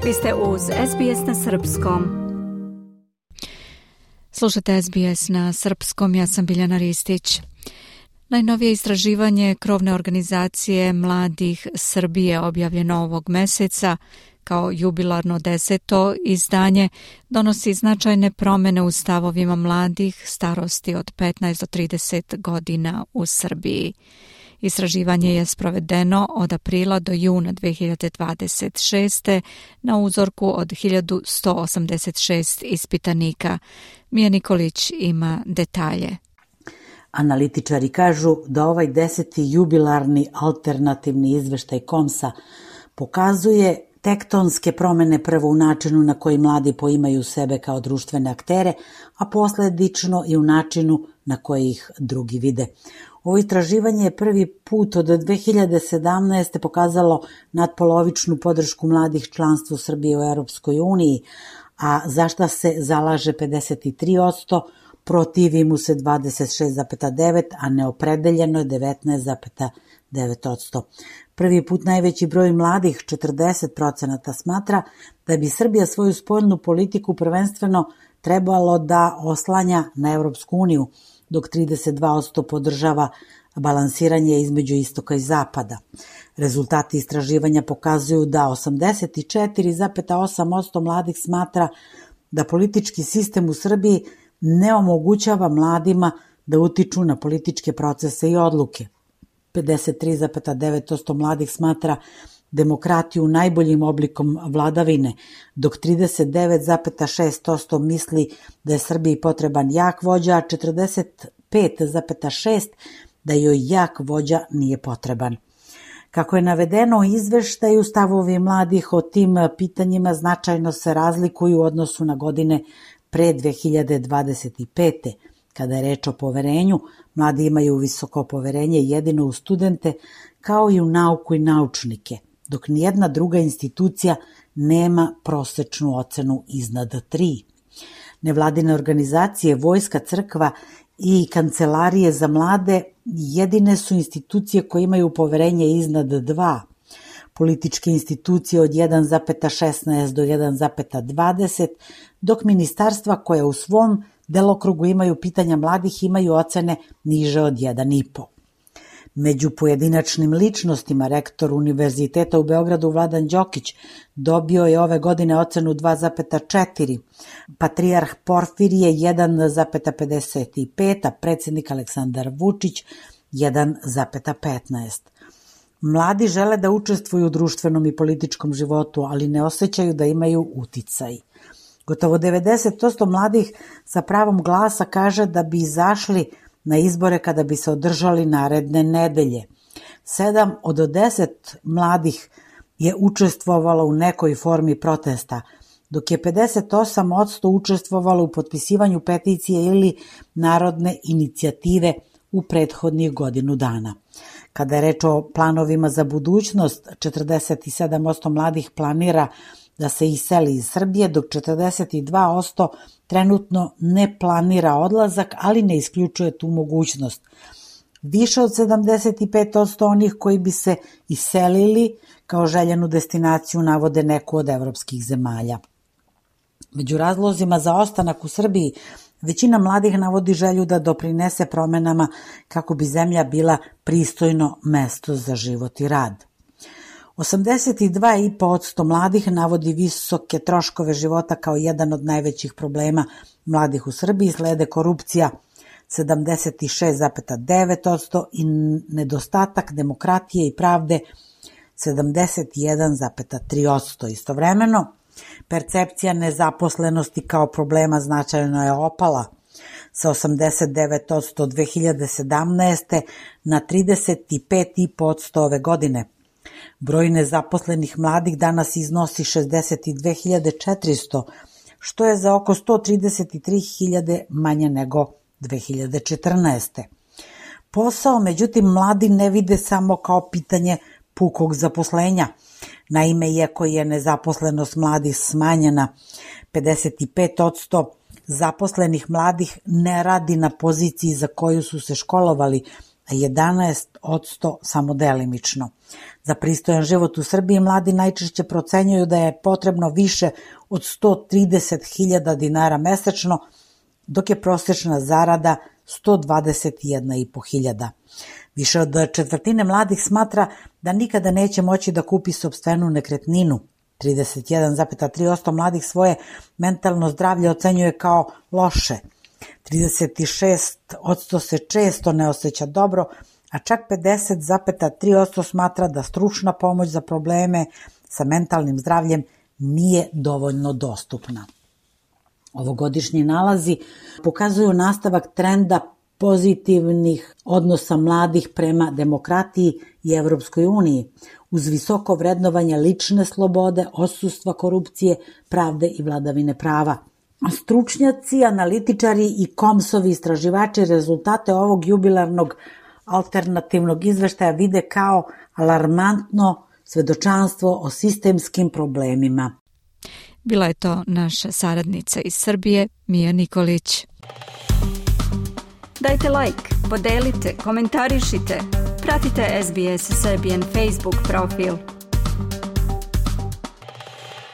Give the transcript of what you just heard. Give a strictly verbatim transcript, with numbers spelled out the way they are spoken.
Vi ste uz S B S na srpskom. Slušate S B S na srpskom, ja sam Biljana Ristić. Najnovije istraživanje krovne organizacije Mladih Srbije objavljeno ovog meseca kao jubilarno deseto izdanje donosi značajne promjene u stavovima mladih starosti od petnaest do trideset godina u Srbiji. Istraživanje je sprovedeno od aprila do juna dve hiljade dvadeset šeste. na uzorku od hiljadu sto osamdeset šest ispitanika. Mija Nikolić ima detalje. Analitičari kažu da ovaj deseti jubilarni alternativni izveštaj Komsa pokazuje tektonske promene prvo u načinu na koji mladi poimaju sebe kao društvene aktere, a posledično i u načinu na koji ih drugi vide. Ovo istraživanje je prvi put od dve hiljade sedamnaeste. pokazalo nadpolovičnu podršku mladih članstvu Srbije u Europskoj uniji, a za šta se zalaže pedeset tri posto, protivi mu se dvadeset šest zarez devet posto, a neopredeljeno je devetnaest zarez devet posto. Prvi put najveći broj mladih, četrdeset procenata, smatra da bi Srbija svoju spoljnu politiku prvenstveno trebalo da oslanja na Europsku uniju, dok trideset dva posto podržava balansiranje između istoka i zapada. Rezultati istraživanja pokazuju da osamdeset četiri zarez osam posto mladih smatra da politički sistem u Srbiji ne omogućava mladima da utiču na političke procese i odluke. pedeset tri zarez devet posto mladih smatra demokratiju najboljim oblikom vladavine, dok trideset devet zarez šest posto misli da je Srbiji potreban jak vođa, a četrdeset pet zarez šest posto da joj jak vođa nije potreban. Kako je navedeno u izveštaju, stavovi mladih o tim pitanjima značajno se razlikuju u odnosu na godine pre dve hiljade dvadeset pete. Kada je reč o poverenju, mladi imaju visoko poverenje jedino u studente, kao i u nauku i naučnike, dok nijedna druga institucija nema prosečnu ocenu iznad tri. Nevladine organizacije, vojska, crkva i kancelarije za mlade jedine su institucije koje imaju poverenje iznad dva. Političke institucije od jedan zarez šesnaest do jedan zarez dvadeset, dok ministarstva koje u svom delokrugu imaju pitanja mladih imaju ocene niže od jedan zarez pet. Među pojedinačnim ličnostima rektor Univerziteta u Beogradu Vladan Đokić dobio je ove godine ocenu dva zarez četiri, patrijarh Porfirije jedan zarez pedeset pet, a predsjednik Aleksandar Vučić jedan zarez petnaest. Mladi žele da učestvuju u društvenom i političkom životu, ali ne osjećaju da imaju uticaj. Gotovo devedeset posto mladih sa pravom glasa kaže da bi izašli na izbore kada bi se održali naredne nedelje. Sedam od deset mladih je učestvovalo u nekoj formi protesta, dok je pedeset osam posto učestvovalo u potpisivanju peticije ili narodne inicijative u prethodnih godinu dana. Kada je reč o planovima za budućnost, četrdeset sedam posto mladih planira da se iseli iz Srbije, dok četrdeset dva posto trenutno ne planira odlazak, ali ne isključuje tu mogućnost. Više od sedamdeset pet posto onih koji bi se iselili kao željenu destinaciju navode neku od evropskih zemalja. Među razlozima za ostanak u Srbiji, većina mladih navodi želju da doprinese promenama kako bi zemlja bila pristojno mesto za život i rad. osamdeset dva zarez pet posto mladih navodi visoke troškove života kao jedan od najvećih problema mladih u Srbiji, slede korupcija sedamdeset šest zarez devet posto i nedostatak demokratije i pravde sedamdeset jedan zarez tri posto. Istovremeno, percepcija nezaposlenosti kao problema značajno je opala sa osamdeset devet posto dve hiljade sedamnaeste. na trideset pet zarez pet posto ove godine. Broj nezaposlenih mladih danas iznosi šezdeset dve hiljade četiristo, što je za oko sto trideset tri hiljade manje nego dve hiljade četrnaeste. Posao, međutim, mladi ne vide samo kao pitanje pukog zaposlenja. Naime, iako je nezaposlenost mladih smanjena, pedeset pet posto zaposlenih mladih ne radi na poziciji za koju su se školovali, a jedanaest posto samo delimično. Za pristojan život u Srbiji mladi najčešće procenjuju da je potrebno više od sto trideset hiljada dinara mesečno, dok je prosječna zarada sto dvadeset jedna i po hiljada. Više od četvrtine mladih smatra da nikada neće moći da kupi sopstvenu nekretninu. trideset jedan zarez tri posto mladih svoje mentalno zdravlje ocenjuje kao loše. trideset šest posto se često ne osjeća dobro, a čak pedeset zarez tri posto smatra da stručna pomoć za probleme sa mentalnim zdravljem nije dovoljno dostupna. Ovogodišnji nalazi pokazuju nastavak trenda pozitivnih odnosa mladih prema demokratiji i Evropskoj uniji, uz visoko vrednovanje lične slobode, odsustva korupcije, pravde i vladavine prava. Stručnjaci, analitičari i komsovi istraživači rezultate ovog jubilarnog alternativnog izveštaja vide kao alarmantno svedočanstvo o sistemskim problemima. Bila je to naša saradnica iz Srbije, Mija Nikolić. Dajte like, podelite, komentarišite, pratite S B S Serbian Facebook profil.